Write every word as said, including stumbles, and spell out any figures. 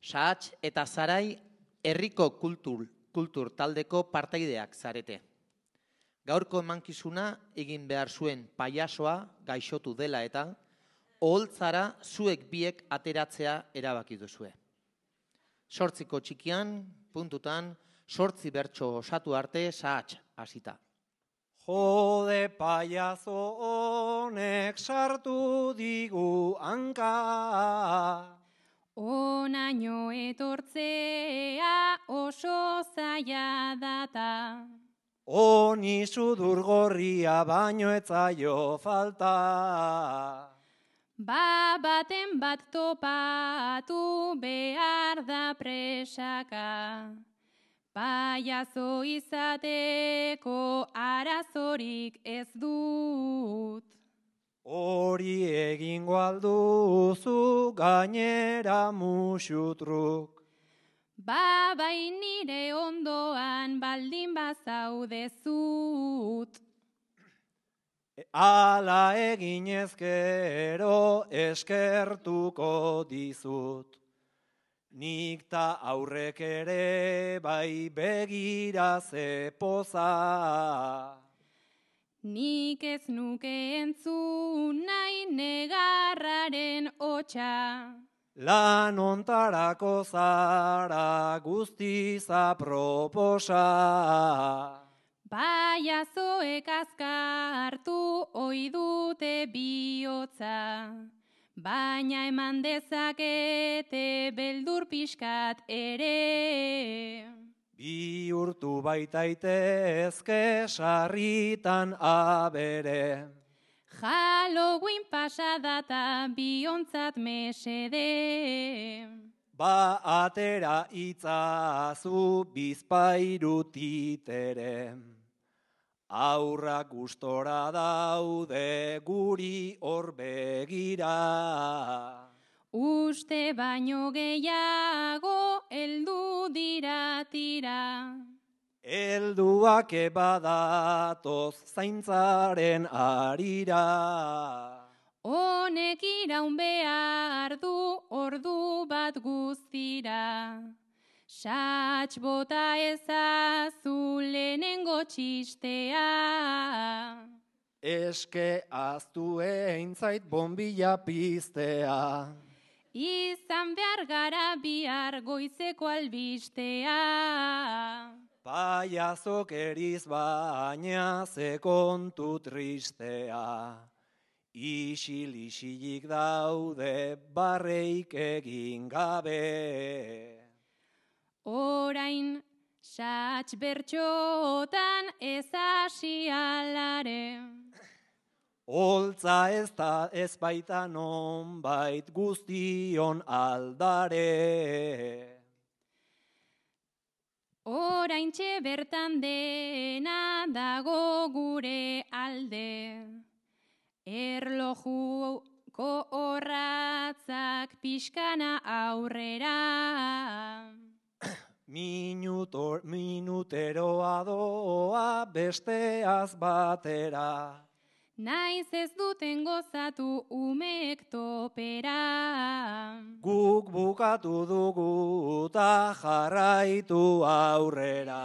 Sahats eta Zarai herriko kultur, kultur taldeko partaideak zarete. Gaurko emankizuna egin behar zuen pailazoa gaixotu dela eta oholtzara zuek biek ateratzea erabaki duzue. Sortziko txikian, puntutan, sortzi bertso osatu arte Sahats hasita. Jode paiazo honek sartu digu hanka. Onaino etortzea oso zaila data. Honi sudur gorria baino etzaio falta. Ba baten bat topatu behar da presaka. Paiazo izateko arazorik ez dut. Hori egingo alduzu gainera musutruk. Ba bai nire ondoan baldin bazaudezut. Ala eginez gero eskertuko dizut. Nik ta aurrek ere bai begira ze poza. Nik ez nuke entzun nahi negarraren hotsa. Lan ontarako zara guztiz aproposa. Paiazoek azkartu ohi dute bihotza. Baina eman dezakete beldur pixkat ere. Bihurtu baitaitezke sarritan abere. Halloween pasadata biontzat mesede. Ba atera itzazu bizpairu titere. Aurra gustora daude guri hor begira. Uste baino gehiago eldu dira tira. Elduak ebadatoz zaintzaren arira. Honek iraun behar du ordu bat guztira. Sahats bota ezazu lehenengo txistea. Eske aztu eintzait bombilla piztea. Izan behar gara bihar goizeko albistea. Paiazok eriz baina ze kontu tristea. Isil-isilik daude barreik egin gabe. Orain Sahats bertxotan ez hasi alare. Holtza ez da ez baita nonbait guztion aldare. Oraintxe bertan dena dago gure alde. Erlojuko orratzak pixkana aurrera. Minutor, minuteroa doa besteaz batera. Naiz ez duten gozatu umeek topera. Guk bukatu dugu ta jarraitu aurrera.